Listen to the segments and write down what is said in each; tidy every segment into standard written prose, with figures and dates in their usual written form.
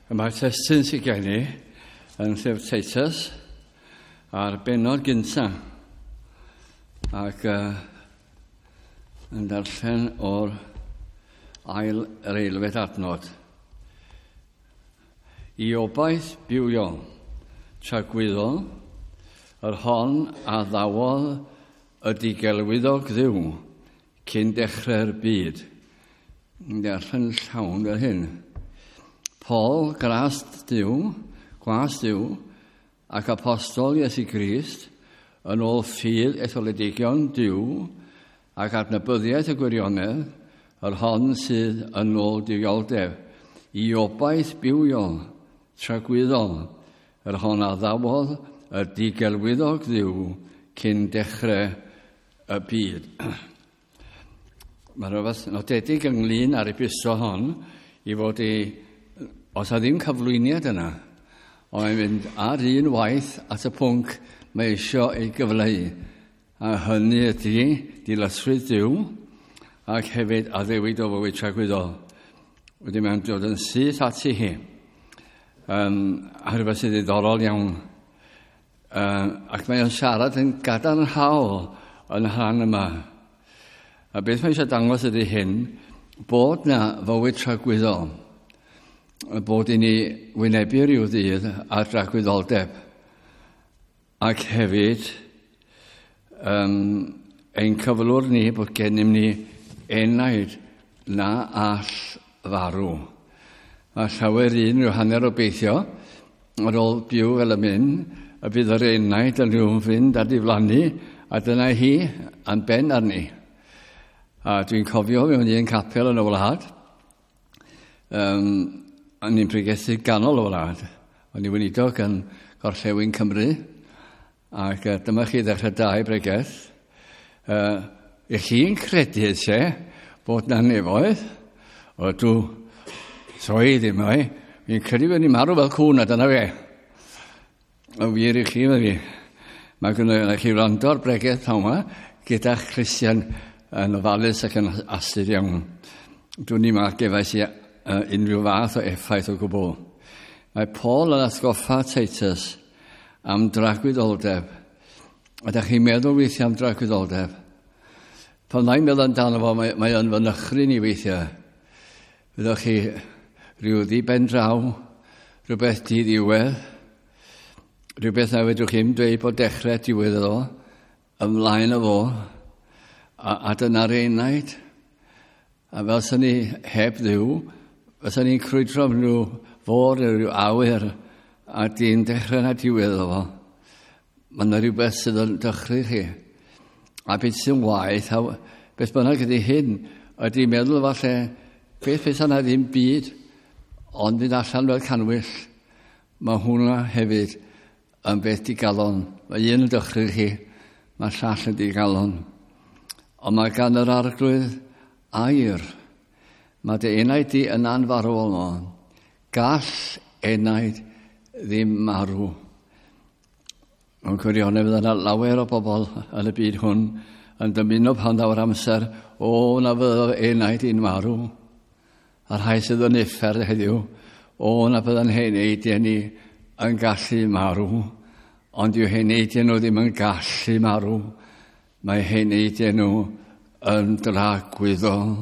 Mae'r testun sydd gen i yn llyfr Titus a'r benod gyntaf ac yn darllen o'r ail yr eilfed adnod. I obaith bywiol, tragwyddol, yr hon a ddawodd y digelwyddog ddiw cyn dechrau'r byd. Yn darllen llawn fel hyn. Paul, gras Duw, gwas Duw, ac apostol Iesu Grist, yn ôl ffydd etholedigion Duw, ac adnabyddiaeth y gwirionedd, yr hon sydd yn ôl duwioldeb, i obaith bywiol, tragwyddol, yr hon a ddawodd y digelwyddog Dduw cyn dechrau y byd. Mae rhywbeth nodedig ynglyn â'r epistol hon i fod i Os a ddim cyflwyniad yna, ond mae'n mynd ar un waith at y pwnc mae eisiau ei gyfleu. A hynny ydy dilysrwydd Duw ac hefyd addewid o fywyd tragwyddol. Wedyn mae'n dod yn syth ati hi. A rhywbeth sydd ddiddorol iawn. Ac mae'n siarad yn gadarnhaol yn rhan yma. A beth mae eisiau dangos ydy hyn, bod na fywyd tragwyddol bod i ni wynebu rhyw ddydd ar dragwyddoldeb ac hefyd ein cyflwr ni bod gennym ni enaid na all farw. Mae llawer un rhyw hanner obeithio ar ôl byw fel y mynd, y bydd yr enaid yn rhyw fynd a diflannu, a dyna hi am ben arni. A dwi'n cofio mewn un capel yn y wlad, o'n i'n pregethu ganol y wlad. O'n i'n weinidog yn Gorllewin Cymru, ac dyma chi ddechrau dau bregeth. I chi'n credu se bod na nefoedd? O dw, soi ddim o'i. Fi'n credu bod ni'n marw fel cwn a dyna fe. Y wir i chi, fe fi. Mae gynnu chi wrando ar bregeth pnawn yma gyda'ch Christian yn ofalus ac yn astud iawn. Dwi'n i'n meddwl gefais i unrhyw fath o effaith o gwbl. Mae Paul yn atgoffa Titus am dragwyddoldeb. Ydych chi'n meddwl weithiau am dragwyddoldeb? Pan mae'n meddwl amdano fo, mae o'n fy nychryn i weithiau. Fyddwch chi rhyw ddi-ben draw, rhywbeth di-ddiwedd, rhywbeth na fedrwch chi'm dweud bod dechrau diwedd iddo, ymlaen o fo, a dyna'r enaid. A fel sy'n ni heb Dduw, fysa ni'n crwydro am rhyw fôr neu rhyw awyr, a dyn dechrau na diwedd o fo. Mae yna rhywbeth sydd yn dychry chi. A beth sy'n waeth, a beth bynnag ydy hyn, ydy meddwl falle, beth beth yna ddim byd, ond fynd allan fel canwyll, mae hwnna hefyd yn beth digalon. Mae un yn dychry chi, mae llall yn digalon. Ond mae gan yr Arglwydd air. Mae dy enaid di yn anfarwol no. Gall enaid ddim marw. Mewn gwirionedd fydd yna lawer o bobl yn y byd hwn yn dymuno pan ddaw'r amser, o na fyddo enaid i'n marw. A'r rhai sydd yn uffern heddiw, o na bydda'n heneidiau ni yn gallu marw. Ond yw heneidiau nhw ddim yn gallu marw. Mae heneidiau nhw yn dragwyddol.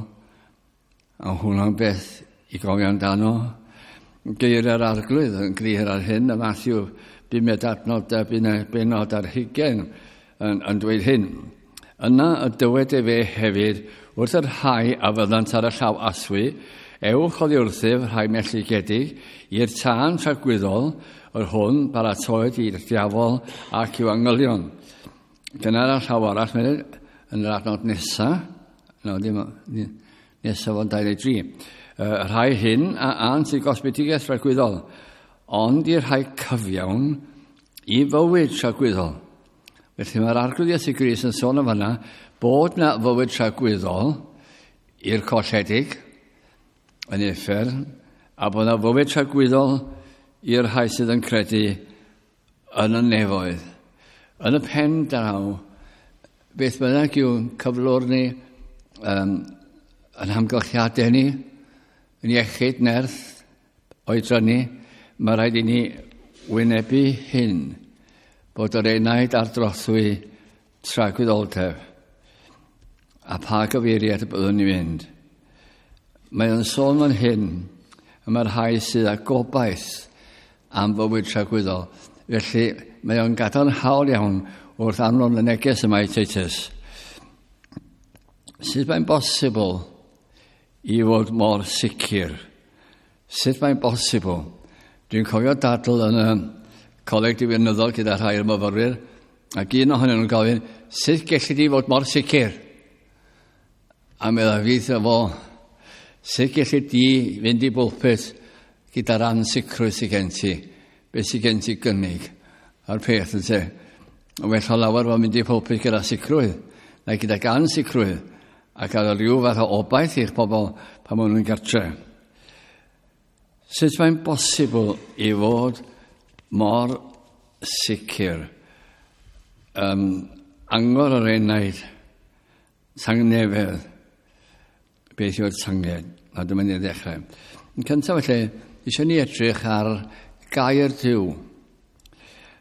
A hwnna'n beth i gofio amdano. Geiriau'r Arglwydd yn glir ar hyn, y Matthew 5 adnod a benod ar 20 yn dweud hyn. Yna y dywed efe hefyd wrth yr rhai a fyddant ar y llaw aswy, ewch oddi wrthyf rhai melltigedig i'r tân tragwyddol, yr hwn baratoed i'r diafol ac i'w angylion. Dyna'r llaw arall, yn yr adnod nesaf, no, ddim, nesaf o'n 23. Y rhai hyn a ant i gosbedigaeth tragwyddol, ond i'r rhai cyfiawn i fywyd tragwyddol. Felly mae'r Arglwydd Iesu Grist yn sôn am fanna bod na fywyd tragwyddol i'r colledig yn uffern, a bod na fywyd tragwyddol i'r rhai sydd yn credu yn y nefoedd. Yn y pen draw, beth bynnag yw cyflwr ni, Yn hamgylchiadau ni, yn iechyd, nerth, oedran ni, mae rhaid i ni wynebu hyn, bod yr enaid ar drothwy tragwyddoldeb, a pa gyfeiriad y byddwn ni'n mynd. Mae o'n sôn fan hyn, y mae'r rhai sydd â gobaith am fywyd tragwyddol. Felly, mae o'n gadarnhaol iawn wrth anfon y neges yma i Titus. Sut mae'n bosibl i fod mor sicr? Sut mae'n bosibl? Dwi'n cofio dadl yn y coleg diwinyddol gyda rhai o'r myfyrwyr, ac un ohonyn nhw'n gofyn, sut gelli di fod mor sicr? A meddai fi wrtho fo, sut gelli di fynd i bwlpit gyda'r ansicrwydd sydd gen ti? Beth sydd gen ti gynnig? A'r peth yn te. Yn well o lawer fod mynd i pulpit gyda sicrwydd, na gyda gan sicrwydd, a gael rhyw fath o obaith i'ch pobl pan maen nhw'n gartre. Sut mae'n bosibl i fod mor sicr? Angor yr enaid, tangnefedd, beth yw'r tynged? A dyma ni'n ddechrau. Yn cyntaf felly, eisiau ni edrych ar gair Duw.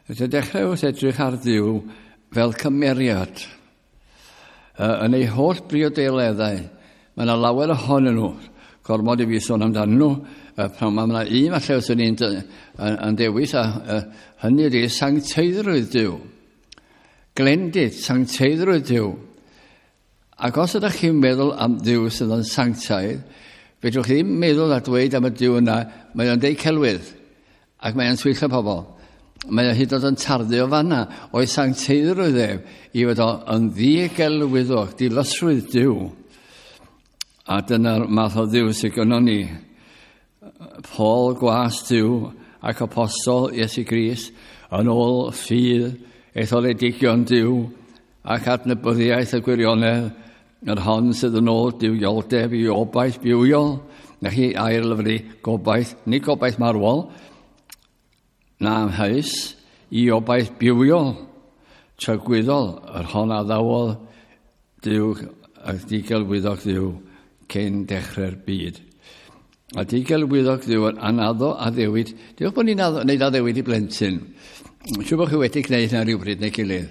Felly dechrau wrth edrych ar Dduw fel cymeriad. Yn ei holl briodeleddau, mae yna lawer ohonyn nhw, gormod i fi sôn amdanyn nhw, pan mae yna un falle os ni'n yn dewis, a hynny ydy sancteiddrwydd Duw. Glendid, sancteiddrwydd Duw. Ac os ydych chi'n meddwl am Dduw sydd yn sanctaidd, fedrwch chi ddim meddwl a dweud am y Duw yna, mae o'n deud celwydd, ac mae o'n twyllo pobl. Mae o hyd yn oed yn tarddu o fanna, o'i sancteiddrwydd ef, i fod o yn ddigelwyddog, dilysrwydd Duw. A dyna'r math o Dduw sydd gynnon ni. Paul, gwas Duw ac apostol Iesu Grist, yn ôl ffydd etholedigion Duw ac adnabyddiaeth y gwirionedd, yr hon sydd yn ôl duwioldeb i obaith bywiol, na chi air lyfru gobaith, nid gobaith marwol, na amheus, i obaith bywiol, tragwyddol, yr hon addawodd Duw ac digelwyddog Dduw cyn dechrau'r byd. A digelwyddog Dduw yn anaddo addewid. Diolch bod ni'n gwneud addewid i blentyn. Siŵr bod chi wedi gwneud hynna rhywbryd neu gilydd.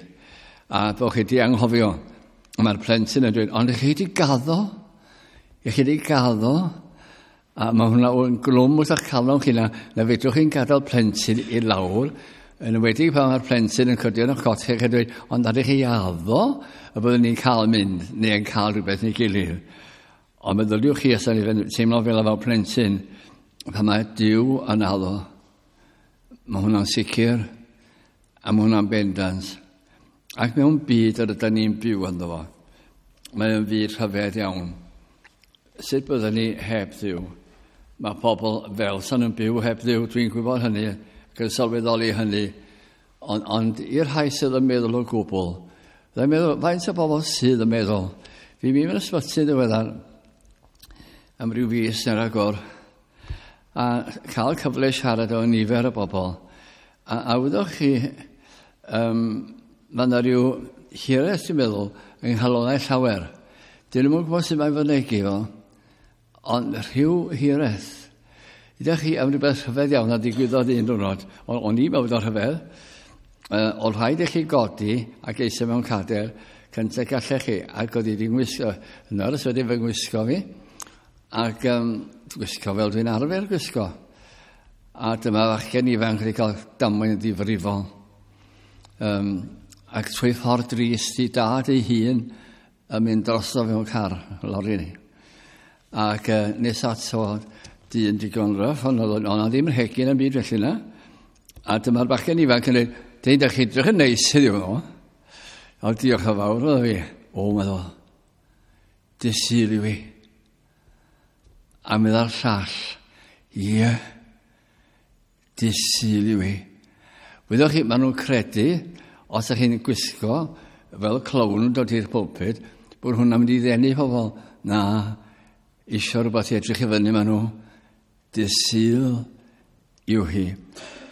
A bod chi wedi anghofio. Mae'r plentyn yn dweud, ond chi wedi gaddo? I chi wedi gaddo? A mae hwnna yn glwm wrth eich calon chi na, na fedrwch chi'n gadael plentyn i lawr, yn enwedig pan mae'r plentyn yn cydio yn eich cot chi ac yn dweud, ond ydych chi addo y byddwn ni'n cael mynd neu yn cael rhywbeth neu gilydd. Ond meddyliwch chi os ydych chi'n teimlo fel efo plentyn, pan mae Duw yn addo, mae hwnna'n sicr a mae hwnna'n bendant. Ac mewn byd yr ydyn ni'n byw ynddo fo, mae o'n fyd rhyfedd iawn. Sut byddwn ni heb Dduw? Mae pobl fel sa'n nhw'n byw heb Dduw, dwi'n gwybod hynny, ac yn sylweddoli hynny. Ond, ond i'r rhai sydd yn meddwl o gwbl, byddai'n meddwl, faint o bobl sydd yn meddwl? Fi'n mynd i'r ysbyty ddiweddar am ryw fis neu'r agor, a cael cyfle siarad efo nifer o bobl. A wyddoch chi, mae yna rhyw hiraeth, dwi'n meddwl, yng nghalonnau llawer. Dyn nhw'n gwybod sut mae'n fynegi fo, ond rhyw hiraeth. Ydych chi am rhywbeth rhyfedd iawn a digwyddodd un diwrnod, o'n i'n meddwl bod o'n rhyfedd, oedd rhaid i chi godi ac eistedd mewn cader cyntaf gallech chi, ac oedd i wedi ngwisgo, nyrs wedi fy ngwisgo fi, ac gwisgo fel dwi'n arfer gwisgo. A dyma fachgen ifanc wedi cael damwain ddifrifol. Ac trwy ffordd drist i dad ei hun yn mynd drosto mewn car, lori ni. Ac nes ato dyn digon ryff, ond oedd o'na ddim rhegyn yn byd felly na. A dyma'r bachgen ifanc yn dweud, dweud, ydych chi edrych yn neis heddiw fo. O, diolch yn fawr, oedd fi. O, meddwl, dy Sul i fi. A meddwl llall, ie, dy Sul i fi. Wyddoch chi, maen nhw'n credu, os ydych chi'n gwisgo fel clown yn dod i'r pulpit, bod hwnna'n mynd i ddenu pobl. Na, isio rhywbeth i edrych i fyny maen nhw. Dy Sul yw hi.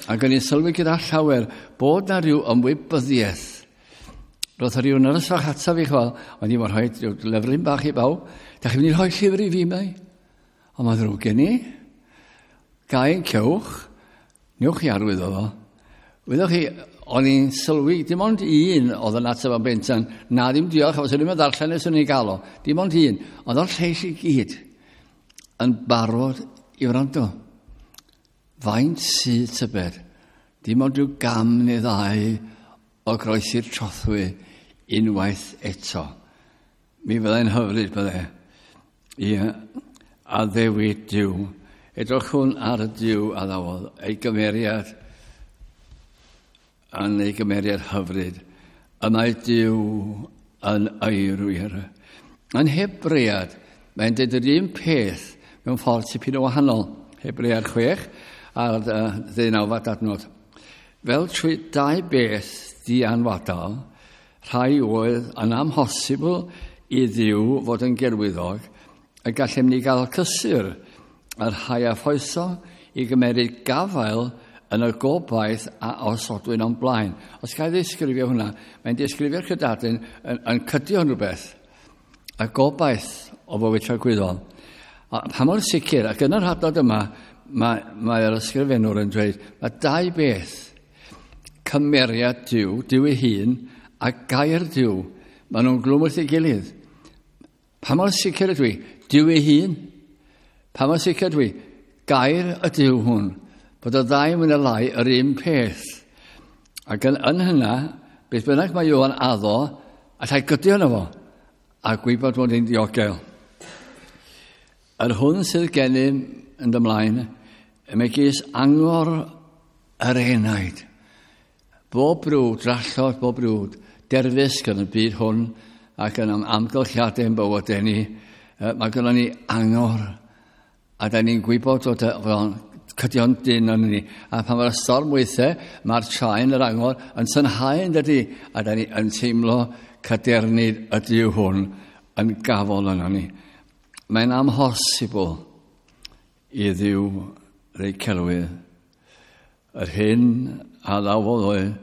Ac o'n i'n sylwi gyda llawer bod na rhyw ymwybyddiaeth. Roedd rhyw nyrs fach ataf i chwal, ond i'n rhoi rhyw lyfryn bach i bawb. Da chi'n mynd i rhoi llyfr i fi, mai? Ond mae ddrwg gen i. Gael cewch, newch chi arwydd o fo. Wyddoch chi, o'n i'n sylwi, dim ond un oedd yn ateb am bentan, na ddim diolch, os o'n i'n ddarllen nes o'n i'n gael o, dim ond un, ond o'r lleill i gyd yn barod i wrando. Faint sydd tybed, dim ond rhyw gam neu ddau o groesi'r trothwy unwaith eto. Mi fyddai'n hyfryd bydde. Ie, addewid Duw. Edrychwn ar y Duw addawodd, ei gymeriad yn ei gymeriad hyfryd. Y mae Duw yn eirwyr. Yn Hebread, mae'n dweud yr un peth mewn ffordd tipyn o wahanol. Hebread 6 a'r ddeunawfed adnod. Fel trwy dau beth dianwadal, rhai oedd yn amhosibl i Dduw fod yn gerwyddog, y gallem ni gael cysur yr rhai a ffoeso i gymeryd gafael yn y gobaith a osodwyd o'n blaen. Os gael ddisgrifio hwnna, mae'n disgrifio'r cydadyn yn, yn cydio yn rhywbeth. Y gobaith o fywyd tragwyddol. A pa mor sicr, ac yn yr hadnod yma, mae'r mae ysgrifenwr yn dweud, mae dau beth, cymeriad Duw, Duw ei hun, a gair Duw, maen nhw'n glwm wrth ei gilydd. Pa mor sicr ydw i? Duw ei hun. Pa mor sicr ydw i? Gair y Duw hwn. Bod y ddau mwy na lai yr un peth. Ac yn, yn hynna, beth bynnag mae Ioan addo, allai gydio yno fo, a gwybod bod hi'n ddiogel. Yr hwn sydd gennym yn ymlaen, y megis angor yr enaid. Bob brwd, drallod bob brwd, derfysg yn y byd hwn ac yn amgylchiadau yn bywydau ni, mae gynnon ni angor a da ni'n gwybod fod o'n cydio'n dyn yn ni. A pan mae'r storm weithiau, mae'r traen yr angor yn tynhau yn dydy, a da ni yn teimlo cadernid y Duw hwn yn gafol yno ni. Mae'n amhosibl i Dduw rei celwydd. Yr hyn a ddawodd oedd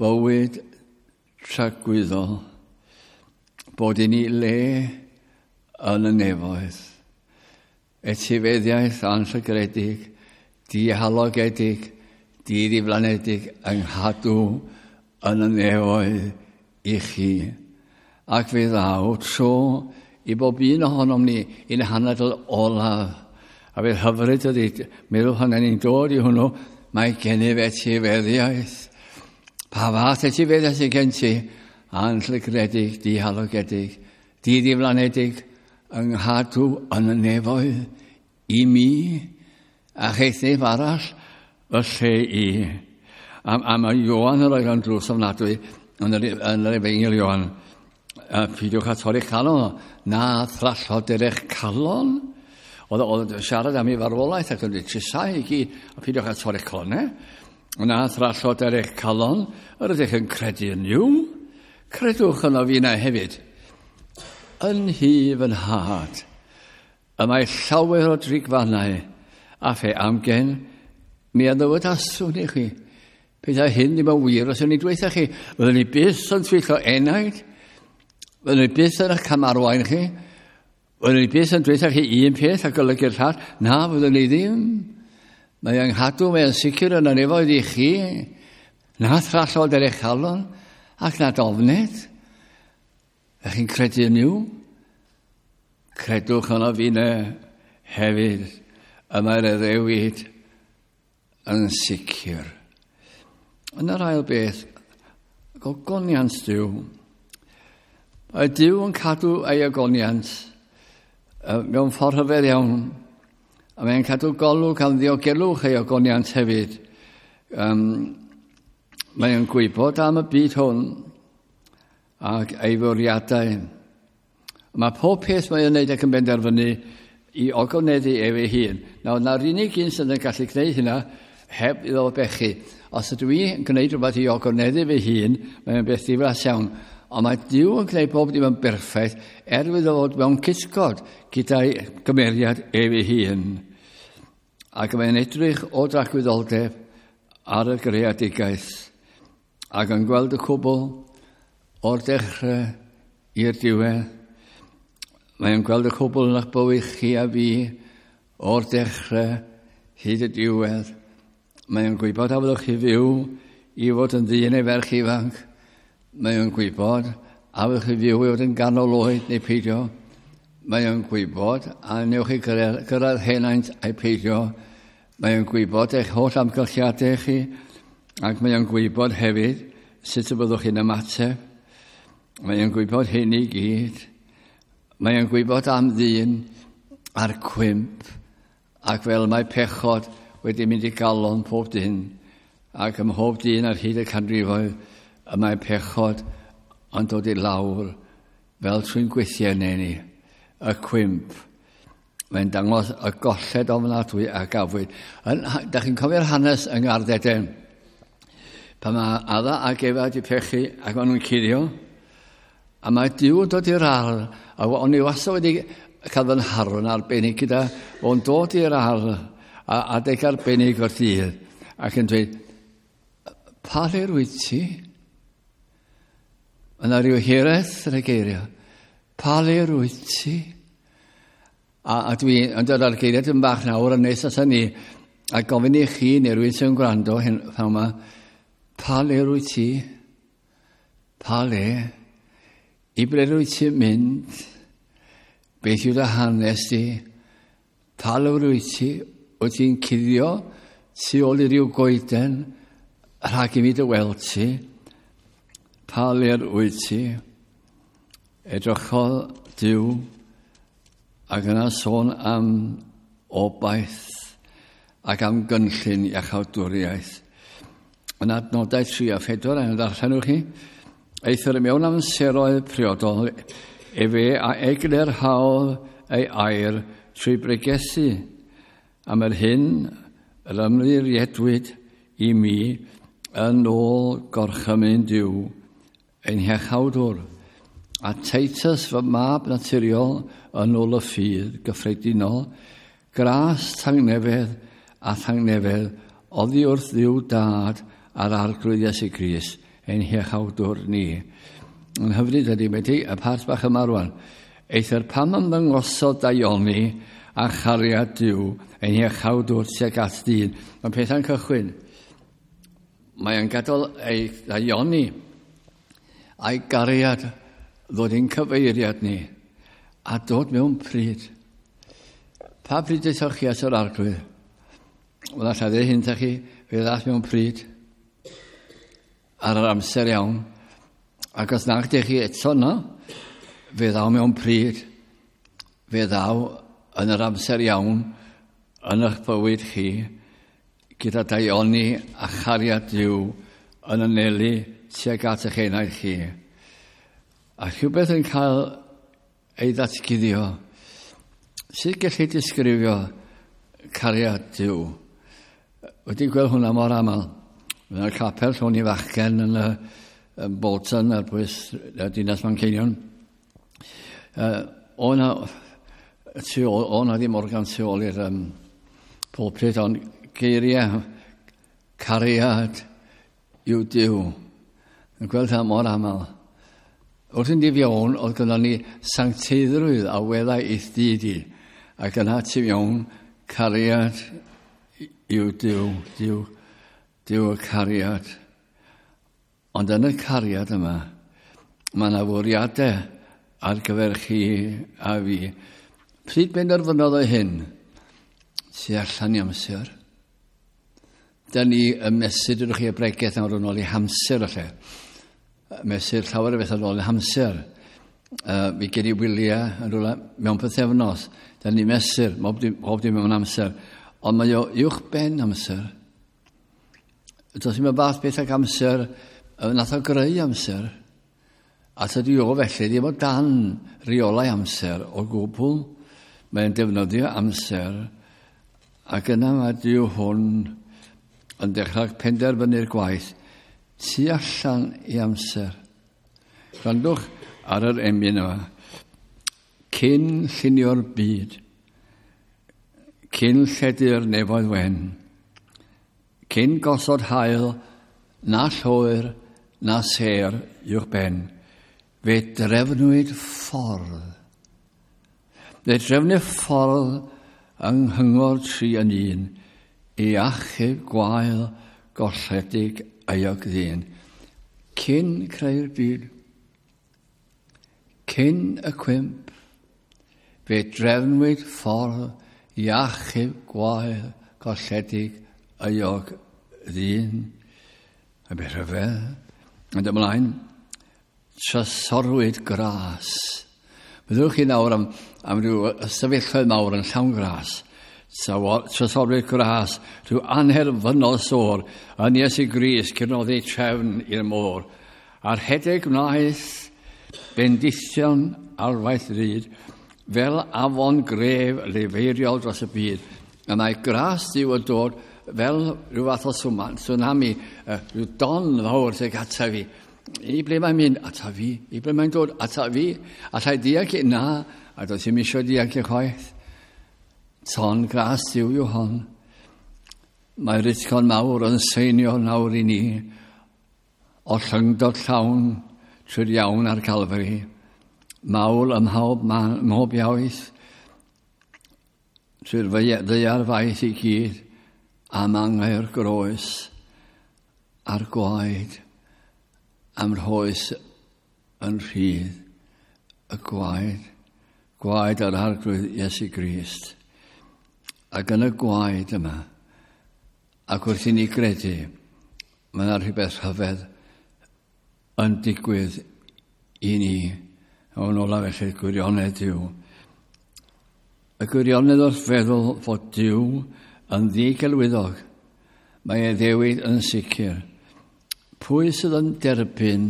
bywyd tragwyddol, bod i ni le yn y nefoedd. Etifeddiaeth anllygredig, dihalogedig, diddiflanedig yng nghadw yn y nefoedd i chi. Ac fe ddaw tro i bob un ohonom ni i'n hanadl olaf. A fydd hyfryd ydy, meddwl pan ni'n dod i hwnnw, mae gennyf etifeddiaeth. Pa fath etifeddiaeth sydd gen ti? Anllygredig, dihalogedig, diddiflanedig, yng nghadw yn y nefoedd i mi a cheith arall y lle i. A, a mae Ioan yn rhoi o'n drws ofnadwy yn yr, yn yr efengyl Ioan. A peidiwch â torri'ch calon, na thrallod er eich calon. Oedd, oedd siarad am ei farwolaeth ac yn dweud trisau i gyd, a peidiwch â torri'ch calon, e? Na thrallod er eich calon, yr ydych yn credu yn Nuw. Credwch yno fi na hefyd. Yn hi fy nhad, y mae llawer o drigfannau, a fe amgen, mi a ddywedaswn i chi. Pethau hyn ddim yn wir os o'n i dweud chi, fyddwn ni byth yn twyllo enaid, fyddwn ni byth yn eich camarwain chi, fyddwn ni byth yn dweud chi un peth a golygu'r llall, na, fyddwn ni ddim. Mae anghadw, mae'n sicr yn anefoedd i chi, na thrallod er eich calon, ac na dofned. Ych chi'n credu yn Nuw? Credwch yno fi ne hefyd. Y mae'r addewid yn sicr. Yn yr ail beth, gogoniant Duw. Mae Duw yn cadw ei ogoniant mewn ffordd rhyfedd iawn. A mae'n cadw golwg am ddiogelwch ei ogoniant hefyd. Um, mae'n gwybod am y byd hwn ac ei fwriadau. Mae pob peth mae'n wneud ac yn benderfynu i ogoneddu ef ei hun. Nawr, na'r unig un sydd yn gallu gwneud hynna heb iddo bechu. Os ydw i yn gwneud rhywbeth i ogoneddu fy hun, mae'n beth ddiflas iawn. Ond mae Duw yn gwneud bob dim yn berffaith er iddo fod mewn cysgod gyda'i gymeriad ef ei hun. Ac mae'n edrych o dragwyddoldeb ar y greadigaeth ac yn gweld y cwbl o'r dechrau i'r diwedd. Mae'n gweld y cwbl yn eich bywyd chi a fi o'r dechrau hyd y diwedd. Mae'n gwybod a fyddwch chi fyw i fod yn ddyn neu ferch ifanc. Mae'n gwybod a fyddwch chi fyw i fod yn ganol oed neu peidio. Mae'n gwybod a newch chi gyrraedd henaint a'i peidio. Mae'n gwybod eich holl amgylchiadau chi ac mae'n gwybod hefyd sut y byddwch chi'n ymateb. Mae'n gwybod hyn i gyd. Mae'n gwybod am ddyn a'r cwymp, ac fel mae pechod wedi mynd i galon pob dyn, ac ym mhob dyn ar hyd y canrifoedd, y mae pechod yn dod i lawr fel trwy'n gweithiau neu ni, y cwymp. Mae'n dangos y golled ofnadwy a gafwyd. Da chi'n cofio'r hanes yng Ngardd Eden? Pan mae Adda ac Efa wedi pechu ac maen nhw'n cuddio, a mae Duw yn dod i'r ardd, a o'n i wastad wedi cael fy nharo'n arbennig gyda o'n dod i'r ardd a adeg arbennig o'r dydd, ac yn dweud, pa le rwyt ti? Yna rhyw hiraeth yn y geiriau. Pa le rwyt ti? A dwi yn dod ar geiriau yn bach nawr yn nes at ni, a gofyn i chi neu rywun sy'n gwrando hyn pan yma, pa le rwyt ti? Pa le? I ble rwyt ti'n mynd? Beth yw dy hanes di? Pa le rwyt ti? Wyt ti'n cuddio tu ôl i ryw goeden rhag i mi dy weld ti? Pa le rwyt ti? Edrychodd Duw ac yna sôn am obaith ac am gynllun iachawdwriaeth. Yn adnodau 3 a 4, a'n ddarllenwch chi, eithr mewn amseroedd priodol, efe a eglurhaodd ei air trwy bregethu am yr hyn yr ymddiriedwyd i mi yn ôl gorchymyn Duw, ein hiachawdwr, a Titus fy mab naturiol yn ôl y ffydd gyffredinol, gras tangnefedd a thangnefedd oddi wrth Dduw Dad a'r Arglwydd Iesu Grist, ein hiachawdwr ni. Yn hyfryd ydy, wedi y part bach yma rwan. Eithr pam ymddangosodd daioni a chariad Duw, ein hiachawdwr tuag at dyn. Mae pethau'n cychwyn. Mae'n gadael ei daioni a'i gariad ddod i'n cyfeiriad ni a dod mewn pryd. Pa pryd aethoch chi at yr Arglwydd? Wel, allai ddeud hyn chi, fe ddaeth mewn pryd ar yr amser iawn. Ac os nag ydych chi eto yno, fe ddaw mewn pryd, fe ddaw yn yr amser iawn yn eich bywyd chi, gyda daioni a chariad Duw yn anelu tuag at eich enaid chi. A rhywbeth yn cael ei ddatguddio. Sut gellu disgrifio cariad Duw? Wedi gweld hwnna mor aml. Yn y capel lle o'n i fachgen yn y Bolton ar bwys y dinas Manceinion. O na ddim organ tu ôl i'r pulpit, ond geiriau cariad yw Duw. Yn gweld hynna mor aml. Wrth i fewn, oedd gyda ni sancteiddrwydd a weddau i'th dyd i. Ac yna tu mewn, cariad yw Duw, Duw, Duw y cariad. Ond yn y cariad yma, mae yna fwriadau ar gyfer chi a fi. Pryd benderfynodd o hyn? Tu allan i amser. Da ni yn mesur, dydych chi y bregeth nawr yn ôl i hamser lle. Mesur llawer o bethau yn ôl i hamser. Mi gen i wyliau yn rhywle mewn pythefnos. Da ni mesur, pob dim mewn amser. Ond mae o uwch ben amser. Does ddim y fath beth ag amser, nath o greu amser. A tydi o felly ddim o dan reolau amser o gwbl. Mae'n defnyddio amser. Ac yna mae Duw hwn yn dechrau penderfynu'r gwaith tu allan i amser. Gwrandwch ar yr emyn yma. Cyn llunio'r byd, cyn lledu'r nefoedd wen, cyn gosod haul, na lloer, na sêr uwch ben, fe drefnwyd ffordd. Fe drefnu ffordd yng nghyngor 3 yn 1 i achub gwael golledig euog ddyn. Cyn creu'r byd, cyn y cwymp, fe drefnwyd ffordd i achub gwael golledig euog ddyn. A beth rhyfedd. Ond ymlaen, trysorwyd gras. Byddwch chi nawr am ryw ystafelloedd mawr yn llawn gras. Trysorwyd gras, rhyw anherfynol sôr, yn Iesu Grist cyrnoddi trefn i'r môr. A'r rhedeg wnaeth bendithion arfaeth ryd, fel afon gref lefeiriol dros y byd. A mae gras Duw yn dod fel rhyw fath o tsunami, rhyw don fawr sy'n ata fi. I ble mae'n mynd? Ata fi. I ble mae'n dod? Ata fi. Allai dianc? Na. A does ddim eisiau dianc i chwaith. Ton gras Duw yw hon. Mae'r utgorn mawr yn seinio nawr i ni o llyngdod llawn trwy'r iawn ar Calfari. Mawl ym mhob iaith trwy'r ddaear faith i gyd am angau'r groes a'r gwaed am rhoes yn rhydd y gwaed, gwaed yr Arglwydd Iesu Grist. Ac yn y gwaed yma, ac wrth i ni gredu, mae yna rhywbeth rhyfedd yn digwydd i ni. O'n ola felly, gwirionedd Duw. Y gwirionedd wrth feddwl fod Duw yn ddigelwyddog, mae ei ddewid yn sicr. Pwy sydd yn derbyn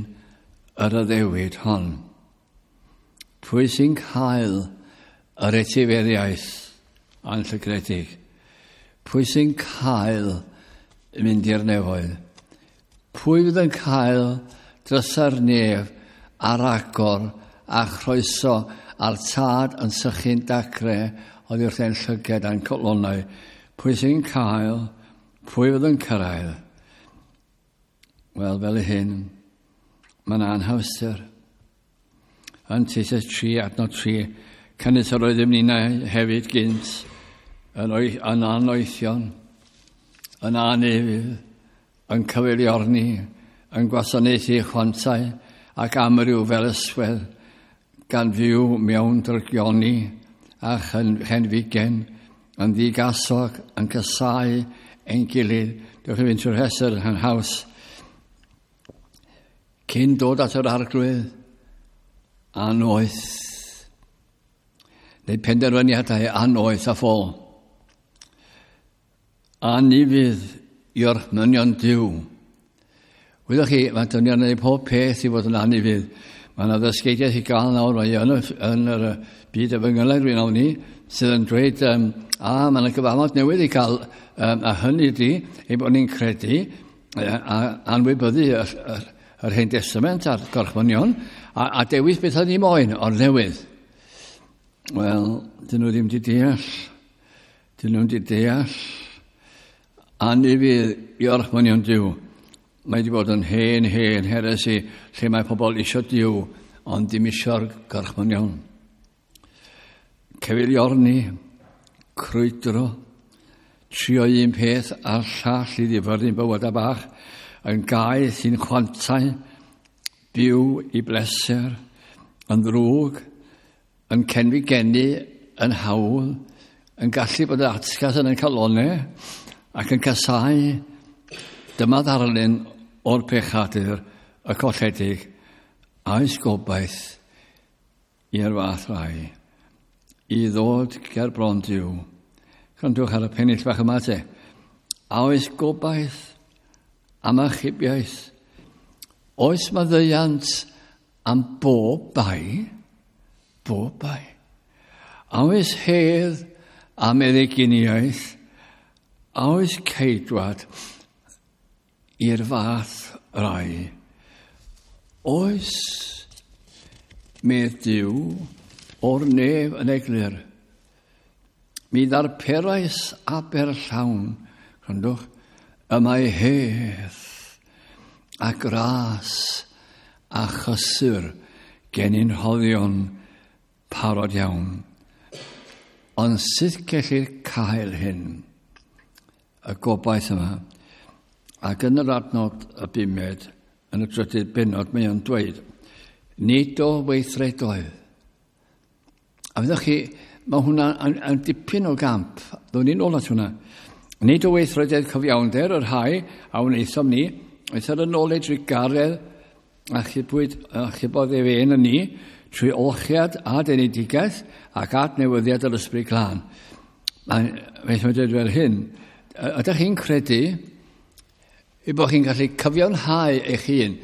yr addewid hon? Pwy sy'n cael yr etifeddiaeth anllygredig? Pwy sy'n cael mynd i'r nefoedd? Pwy fydd yn cael drysa'r nef ar agor a chroeso a'r tad yn sychu'n dacre oddi wrth ein llyged a'n colonnau? Pwy sy'n cael? Pwy fydd yn cyrraedd? Wel, fel y hyn, mae'n anhawster. Yn Titus 3, adnod 3, canys yr oeddym ninnau hefyd gynt, yn anoethion, yn anufudd, yn cyfeiliorni, yn gwasanaethu chwantau ac amryw fel yswedd, gan fyw mewn drygioni a chenfigen, yn ddigasog, yn casáu ein gilydd. Dewch i fynd trwy'r rhestr yn haws. Cyn dod at yr Arglwydd, anoeth, neu penderfyniadau anoeth a ffôl. Anufudd i orchmynion Duw. Wyddoch chi, mae dynion yn gwneud pob peth i fod yn anufudd. Mae yna ddysgeidiaeth i gael nawr, mae yn yr byd efengylaidd rwy'n ofni, sydd yn dweud, mae yna gyfamod newydd i gael, a hynny ydy, ei bod ni'n credu, a anwybyddu yr Hen Testament a'r gorchmynion, a dewis beth oedd ni moyn o'r newydd. Wel, dyn nhw ddim wedi deall. Dyn nhw wedi deall. Anufudd i orchmynion Duw. Mae wedi bod yn hen heresi lle mae pobl isio Duw, ond ddim isio'r gorchmynion. Cyfeiliorni, crwydro, trio un peth a'r llall i ddifyrru'n bywydau bach, yn gaeth i'n chwantau, byw i bleser, yn ddrwg, yn cenfigenu, yn hawdd, yn gallu bod yn atgas yn ein calonnau, ac yn casáu. Dyma ddarlun o'r pechadur y colledig, a oes gobaith i'r fath rai i ddod ger bron Duw. Gwrandwch ar y pennill bach yma te. A oes gobaith am achubiaeth? Oes maddeuant am bob bai? Bob bai. A oes hedd am meddyginiaeth? A oes ceidwad i'r fath rai? Oes, medd Duw o'r nef yn eglur. Mi ddarperais aber llawn, gwrandwch, y mae hedd a gras a chysur gennym rhoddion parod iawn. Ond sut gellir cael hyn? Y gobaith yma. Ac yn yr adnod y bumed, yn y drydydd bennod, mae o'n dweud, nid o weithredoedd. A fyddwch chi, mae hwnna yn dipyn o gamp. Ddwn ni'n ôl at hwnna. Nid o weithredoedd cyfiawnder yr rhai a wnaethom ni, eithr yn ôl ei drugaredd a chybodd ef ein yn ni, trwy olchiad a denedigaeth ac adnewyddiad yr Ysbryd Glân. Mae'n dweud fel hyn, ydych chi'n credu i bod chi'n gallu cyfiawnhau eich hun?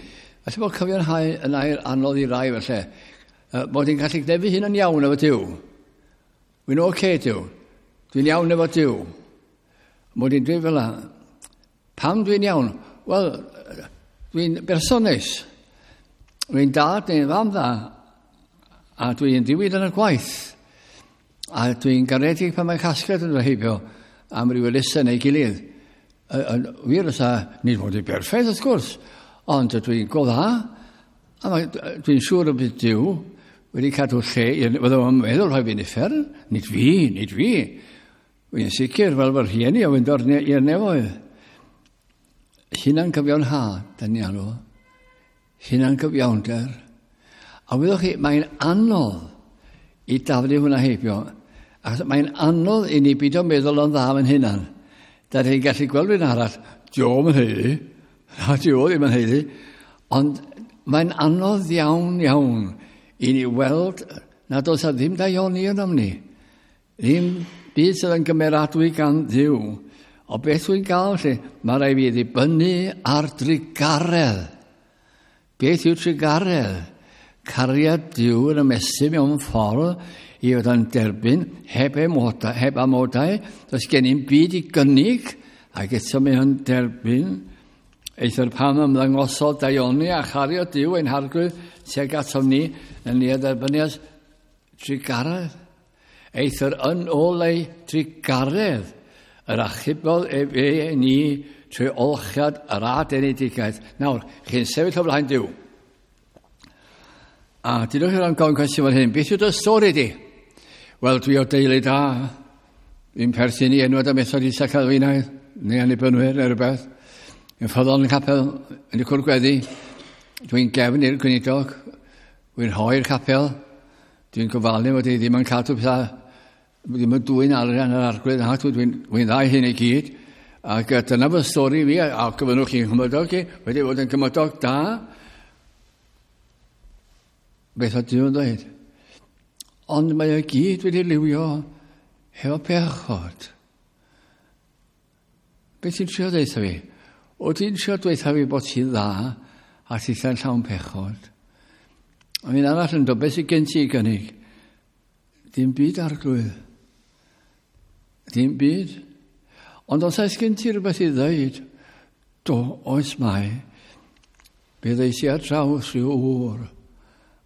Felly bod cyfiawnhau yn air anodd i rai felly. Bod chi'n gallu gwneud fy hun yn iawn efo Duw. Dwi'n oce, okay, Duw. Dwi'n iawn efo Duw. Mod i'n dweud fel la. Pam dwi'n iawn? Wel, dwi'n berson neis. Dwi'n dad neu'n fam dda. A dwi'n diwyd yn y gwaith. A dwi'n garedig pan mae casgliad yn dod heibio am ryw elusen neu gilydd. Wir oes a nid fod i berffaith wrth gwrs, ond dwi'n go dda, a dwi'n siŵr y bydd Duw wedi cadw lle, fydde o'n meddwl rhoi fi'n uffern, nid fi, nid fi. Dwi'n sicr fel fy rhieni o fynd o'r i'r nefoedd. Hunan cyfiawnhad, da ni alw. Hunan cyfiawnder. A wyddwch chi, mae'n anodd i daflu hwnna heibio. Achos mae'n anodd i ni beidio meddwl o'n dda yn hunan. Da ni'n gallu gweld rhywun arall, dio'm yn haeddu, na dio ddim yn haeddu, ond mae'n anodd iawn iawn i ni weld nad oes a ddim daioni ynom ni. Ddim byd sydd yn gymeradwy gan Dduw. O beth dwi'n gael lle, mae rhaid fi ddibynnu ar drugaredd. Beth yw trugaredd? Cariad Duw yn ymestyn mewn ffordd i fod yn derbyn heb amodau, heb amodau. Does gen i'n byd i gynnig, ac eto mae o'n derbyn. Eithr pan ymddangosodd daioni a chario Duw ein harglwydd tuag atom ni, yn ni a dderbynias trugaredd. Eithr yn ôl ei trugaredd, yr achubodd ef e ni trwy olchiad yr adenedigaeth. Nawr, chi'n sefyll o flaen Duw. A dydwch chi'n gofyn cwestiwn fel hyn, beth yw dy stori di? Wel, dwi o deulu da. Dwi'n perthyn i enwad y Methodist Calfinaidd, neu Annibynwyr, neu rhywbeth. Dwi'n ffyddlon yn capel, yn y cwr gweddi. Dwi'n gefn i'r gweinidog. Dwi'n rhoi'r capel. Dwi'n gofalu fod i ddim yn cadw pethau, ddim yn dwyn arian yr arglwydd. Na, dwi'n dda i hyn i gyd. Ac dyna fy stori fi, a gofynnwch chi'n gymydog i, wedi bod yn gymydog da. Beth oedd Duw yn dweud? Ond mae o gyd wedi liwio hefo pechod. Beth ti'n trio dweud fi? O ti'n trio dweud fi bod ti'n dda a ti'n llawn pechod? A mi'n arall yn dod, beth sydd gen ti i gynnig? Dim byd, arglwydd. Dim byd. Ond os oes gen ti rhywbeth i ddweud, do, oes mae. Fe ddeis i ar draws rhyw ŵr,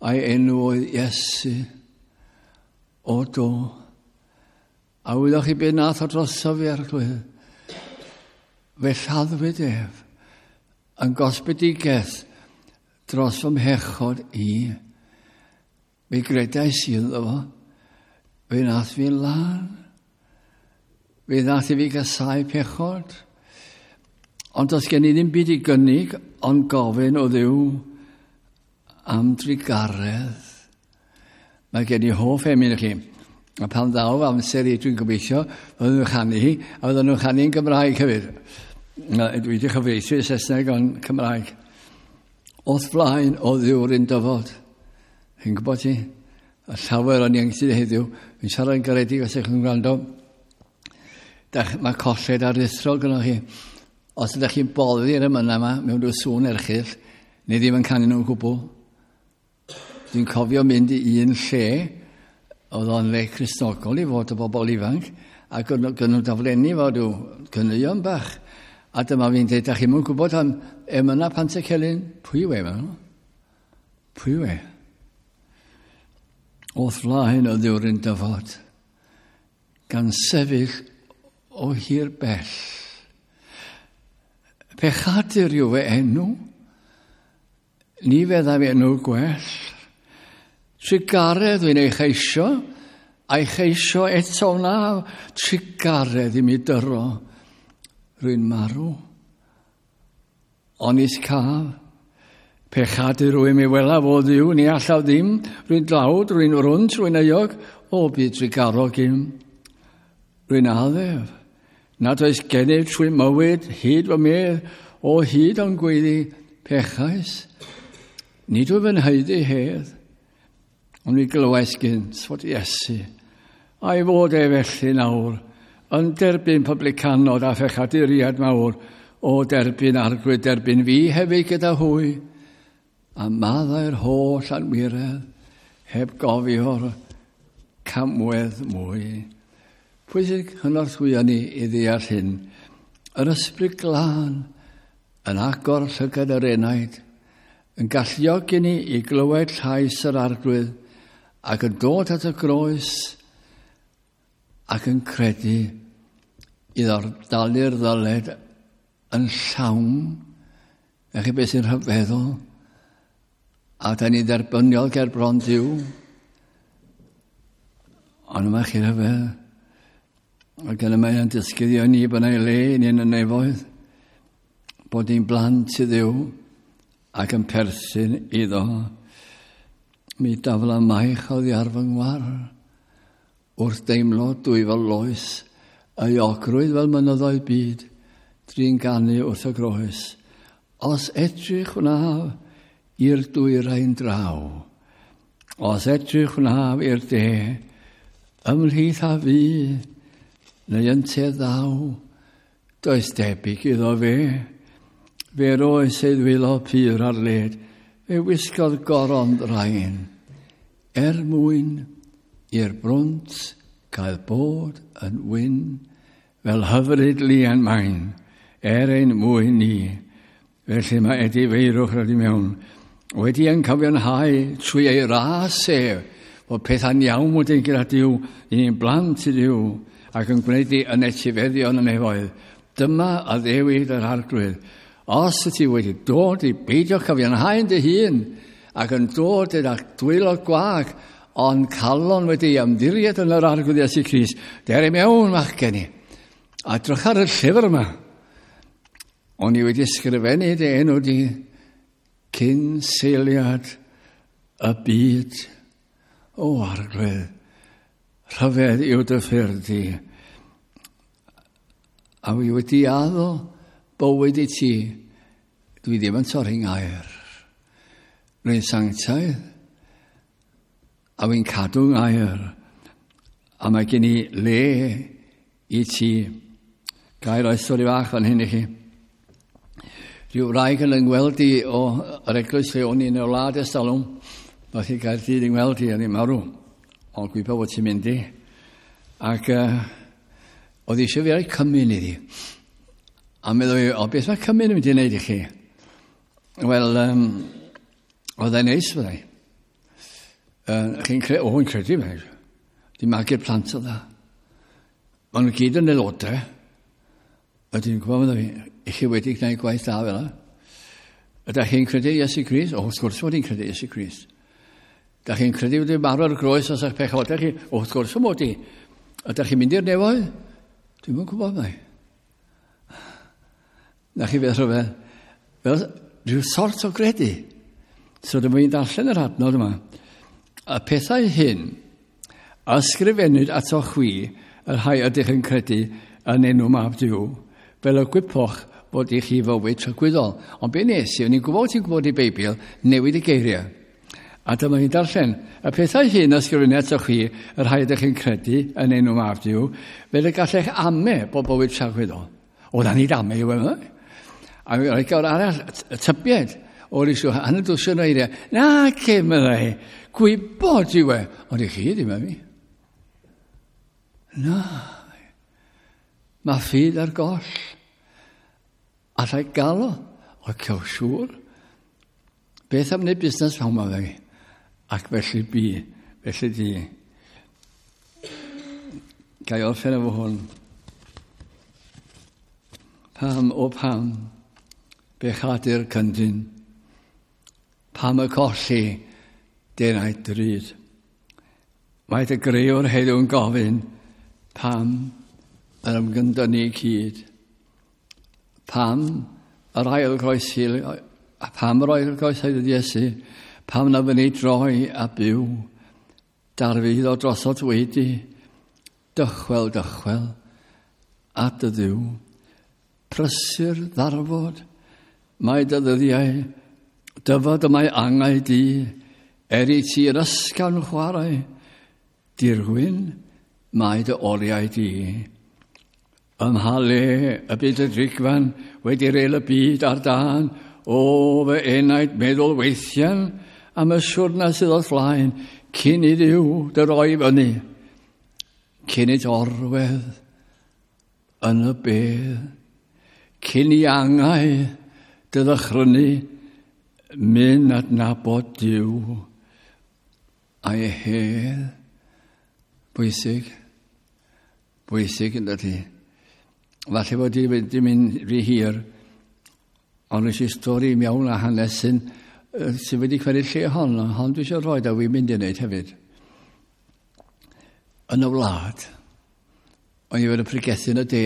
a'i enw oedd Iesu. O do. A wyddoch chi beth nath o drosof fi, arglwydd? Fe lladdwyd ef yn gosbedigaeth dros fy mhechod i. Fe gredais i ynddo fo. Fe nath fi'n lân. Fe nath i fi gasau pechod. Ond does gen i ddim byd i gynnig ond gofyn o Dduw am drugaredd. Mae gen i hoff emyn i chi. A pan ddaw amser i, dwi'n gobeithio, fydden nhw'n chanu hi, a fydden nhw'n chanu yn Gymraeg hefyd. Dwi wedi chyfieithu i Saesneg ond Cymraeg. O'th flaen o Dduw'r un dyfod. Chi'n gwybod ti? A llawer o'n ieuenctid heddiw, fi'n siarad yn garedig os ydych chi'n gwrando. Mae colled aruthrol gyda chi. Os ydych chi'n boddi'r emynau yma mewn rhyw sŵn erchyll, neu ddim yn canu nhw'n gwbl. Dwi'n cofio mynd i un lle, oedd o'n le Cristnogol i fod y bobl ifanc, ac gynnu nhw daflenni fo rhyw caneuon bach. A dyma fi'n dweud, da chi'm yn gwybod am emynau Pantycelyn? Pwy yw e? Pwy yw e? O'th flaen o Dduw'r un dyfod, gan sefyll o hir bell. Pechadur yw fy enw, ni feddaf enw gwell. Trugaredd dwi'n ei cheisio, A'i cheisio eto wna trugaredd i mi dyro. Rwy'n marw. Onis caf. Pechadur rwy'n mi welaf o Dduw, ni allaf ddim. Rwy'n dlawd, rwy'n rwnt, rwy'n euog. O, byd trugarog im. Rwy'n addef. Nad oes gennyf trwy mywyd, hyd fy medd, o hyd o'n gweiddi, pechais. Nid wyf yn haeddu hedd. Ond mi glywais gynt fod Iesu, a'i fod e felly nawr, yn derbyn publicanod a phechaduriaid mawr, o derbyn Arglwydd, derbyn fi hefyd gyda hwy, a maddau'r holl anwiredd, heb gofio'r camwedd mwy. Pwy sy'n cynorthwyo ni i ddeall hyn? Yr Ysbryd Glân yn agor llygad yr enaid, yn galluogi ni i glywed llais yr Arglwydd ac yn dod at y groes ac yn credu iddo'r dalu'r ddyled yn llawn. A chi beth sy'n rhyfeddol? A da ni dderbyniol ger bron Duw. Ond yma chi rhyfedd. Ac yna mae'n dysgu ni bod yna le i ni yn y nefoedd. Bod ni'n blant i Dduw ac yn perthyn iddo. Mi dafla maich oddi ar fy ngwar. Wrth deimlo dwyfol loes, euogrwydd fel mynyddoedd byd, drin ganu wrth y groes. Os edrych wnaf i'r dwyrain draw, os edrych wnaf i'r de, ymhlith a fi, neu ynte ddaw, does debyg iddo fe. Fe roes ei ddwylo pur ar led, fe wisgodd goron ddraen, er mwyn i'r brwnt cael bod yn wyn, fel hyfryd lian main, er ein mwyn ni. Felly mae edifeirwch rhaid i mewn, wedi yn cyfiawnhau trwy ei ras ef, bod pethau'n iawn wedyn gyda Duw, i ni'n blant i Dduw, ac yn gwneud i yn etifeddion y nefoedd. Dyma addewid yr Arglwydd. Os y ti wedi dod i beidio cyfiawnhau yn dy hun, ac yn dod gyda dwylo gwag, ond calon wedi ymddiried yn yr Arglwydd Iesu Grist, der i mewn, machgen i. A drych ar y llyfr yma. O'n i wedi ysgrifennu dy enw di cyn seiliad y byd. O Arglwydd, rhyfedd yw dy ffyrdd di. A wi wedi addo bywyd i ti, dwi ddim yn torri ngair. Rwy'n sanctaidd, a wy'n cadw ngair, a mae gen i le i ti. Ga i roi stori fach fan hyn i chi. Rhyw wraig yn yngweld i o yr eglwys lle o'n i yn y wlad ers talwm. Nath hi Gaerdydd yng ngweld i, o'n i'n marw. Ond gwybod bod ti'n mynd i. Ac oedd eisiau fi roi cymyn iddi. A meddwl i, o beth mae cymyn yn mynd i wneud i chi? Wel, oedd e'n neis fyddai. Chi'n credu, o, yn credu fe. Di magu'r plant o dda. Maen nhw gyd yn aelodau. Ydyn nhw'n gwybod fi, i chi wedi gwneud gwaith da fel yna. Ydych chi'n credu Iesu Grist? O, wrth gwrs mod i'n credu Iesu Grist. Ydych chi'n credu wedi marw ar y groes os eich pechodau chi? O, wrth gwrs mod i. Ydych chi'n mynd i'r nefoedd? Dwi'm yn gwybod mai. Na chi beth rhyfedd. Fel rhyw sort o gredu. So dyma fi'n darllen yr adnod yma. Y pethau hyn ysgrifennwyd ato chwi, y rhai ydych yn credu yn enw Mab Duw, fel y gwypoch fod i chi fywyd tragwyddol. Ond be nes i, o'n i'n gwybod ti'n gwybod i Beibl, newid y geiriau. A dyma ni'n darllen, y pethau hyn ysgrifennu ato chwi, y rhai ydych chi'n credu yn enw Mab Duw, fel y gallech ame bod bywyd tragwyddol. O, na nid ame yw e. A mi roedd gair arall, y tybied, o'r isio, hanner dwsin o eiriau. Na, ce, meddai, gwybod yw e. Ond i chi ddim e mi. Na, mae ffydd ar goll. Allai gael o? O, cew siŵr. Beth am wneud busnes pawb ma fe? Ac felly bu, felly di. Ga i orffen efo hwn. Pam, o pam, bechadu'r cyndyn. Pam y colli denau drud. Mae dy greuwr heddiw'n gofyn pam yr ymgyndynnu cyd. Pam yr ail groesi, a pam yr ail groesi Iesu, pam na fyny droi a byw, darfydd o drosot wedi, dychwel, dychwel, at y Dduw. Prysur ddarfod, mae dy ddyddiau, dyfod y mae angau di, er i ti yr ysgafn chwarae, dirwyn mae dy oriau di. Ym mha le y bydd y drigfan wedi reil y byd ar dân, o fy enaid meddwl weithiau am y siwrna sydd o'th flaen, cyn i Dduw dy roi fyny, cyn i orwedd yn y bedd, cyn i angau dy ddychrynu, mynd adnabod Duw a'i hedd. Bwysig. Bwysig yn dydy. Falle bod i wedi mynd rhy hir, ond nes i stori mewn a hanes sy'n sydd wedi cymryd lle hon, hon dwi eisiau rhoi a wy'n mynd i wneud hefyd. Yn y wlad, o'n i wedi pregethu yn y de,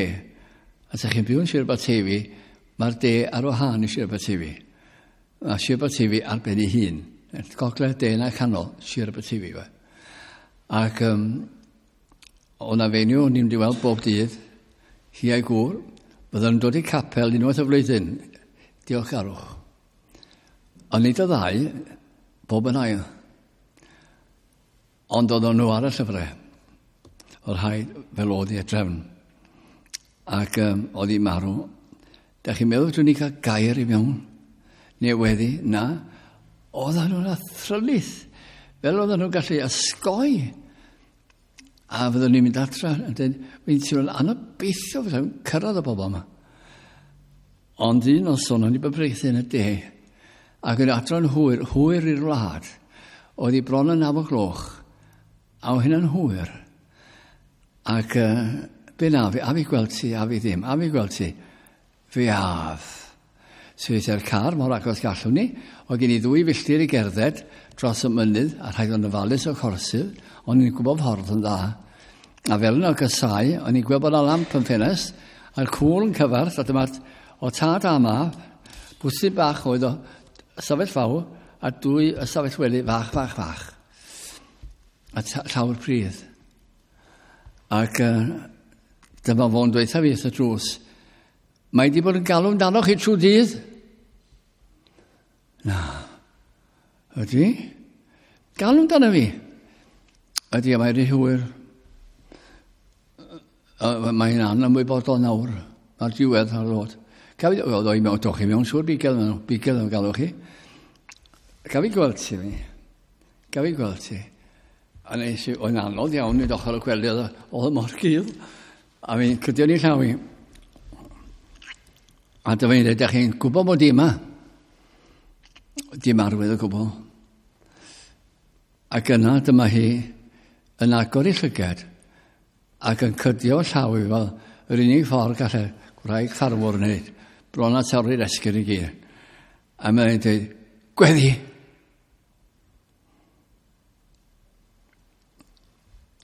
a sa chi'n byw yn Sir Aberteifi, mae'r de ar wahân i Sir Aberteifi. Mae Sir Aberteifi ar ben ei hun. Gogledd, de na canol, Sir Aberteifi. Fe. Ac o'n na fenyw, o'n i'n mynd i weld bob dydd, hi a'i gŵr, bydden nhw'n dod i capel unwaith y flwyddyn, diolchgarwch. Ond nid y ddau, bob yn ail. Ond oedden nhw ar y llyfrau. Oedd rhaid fel oedd i drefn. Ac oedd hi marw. Da chi'n meddwl dwi'n ni cael gair i mewn? Neu weddi? Na. Oedden nhw'n athrylith. Fel oedden nhw'n gallu ysgoi. A fyddwn ni'n mynd adra. A dweud, wy'n teimlo'n anobeithio fyddai'n cyrraedd y bobl yma. Ond un noson, o'n i bod pregethu yn y de, ac yn adro'n hwyr, hwyr i'r wlad, oedd hi bron yn 9 o'gloch, a oedd hynna'n hwyr. Ac be na fi, a fi gweld ti, a fi ddim, a fi gweld ti, fi af. So es i'r car mor agos gallwn ni, oedd gen i 2 filltir i gerdded dros y mynydd, a rhaid o'n ofalus o corsydd, o'n i'n gwybod ffordd yn dda. A fel yn ogysau, o'n i'n gweld bod yna lamp yn ffenest, a'r cŵl yn cyfarth, a dyma'r o tad a mab, bwthyn bach oedd o ystafell fawr, a 2 ystafell wely fach, fach, fach. A llawr pridd. Ac dyma fo'n dweud fi wrth y drws, mae di bod yn galw amdano chi trwy dydd? Na. Ydy? Galw amdano fi? Ydy, a mae rhy hwyr. Mae'n anymwybodol nawr. Mae'r diwedd ar ddod. Gaf i, oedd o i mewn, doch i mewn, siŵr bigel nhw, bigel nhw'n galw chi. Gaf i gweld ti fi? Gaf i gweld ti? A nes i, oedd anodd iawn i ochr y gwely, oedd mor gul. A fi'n cydio ni llaw i. A dyma i'n dweud, da chi'n gwybod bod i yma? Dim arwydd o gwbl. Ac yna dyma hi yn agor ei llygad ac yn cydio llaw i fel yr unig ffordd gallai gwraig ffarmwr wneud, bron a torri'r esgyrn i gyd. A mae'n dweud, gweddi!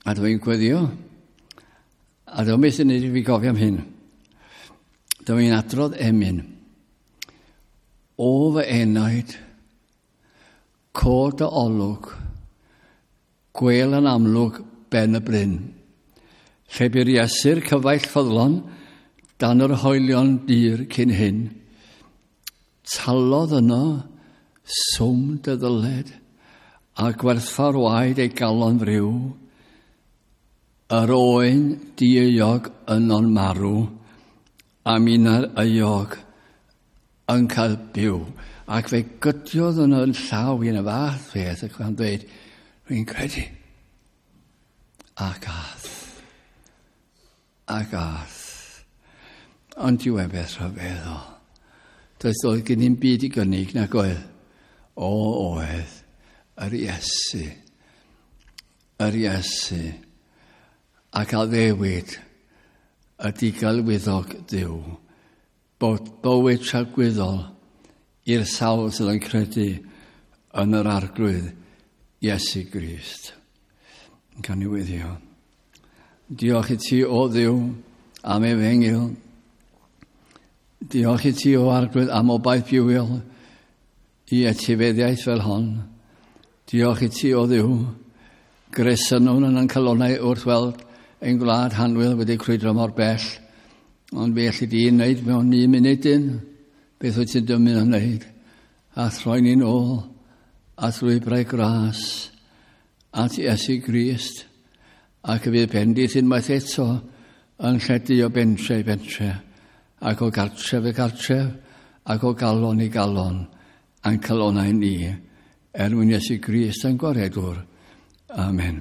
A dwi'n gweddio. A dwi'n beth sy'n neud i fi gofio am hyn. Dwi'n adrodd emyn. O fy enaid, cod dy olwg, gwel yn amlwg ben y bryn. Lle bu'r Iesu'r cyfaill ffyddlon, dan yr hoelion dir cyn hyn. Talodd yno swm dy ddyled, a gwerthfawr waed ei galon friw. Yr oen dieuog yno'n marw, a minnau'r euog yn cael byw. Ac fe gydiodd yno yn llaw i yn y fath beth, ac yn dweud, rwy'n credu. Ac ath. Ac ath. Ond yw e beth rhyfeddol. Doedd oedd gen i'n byd i gynnig nag oedd. O, oedd. Yr Iesu. Yr Iesu. Ac addewid y digalwyddog Duw bod bywyd tragwyddol i'r sawl sydd yn credu yn yr Arglwydd Iesu Grist. Yn cael newyddio. Diolch i ti o Dduw am efengyl. Diolch i ti o Arglwydd am obaith bywiol i etifeddiaeth fel hon. Diolch i ti o Dduw. Gresynwn yn ein calonnau wrth weld ein gwlad hanwyl wedi crwydro mor bell. Ond fe allu di wneud mewn un munudyn beth wyt ti'n dymuno wneud. A throi ni'n ôl at lwybrau gras at Iesu Grist ac y fydd bendith unwaith eto yn lledu o bentre i bentre ac o gartref i gartref ac o galon i galon a'n calonau ni er mwyn Iesu Grist yn gwaredwr. Amen.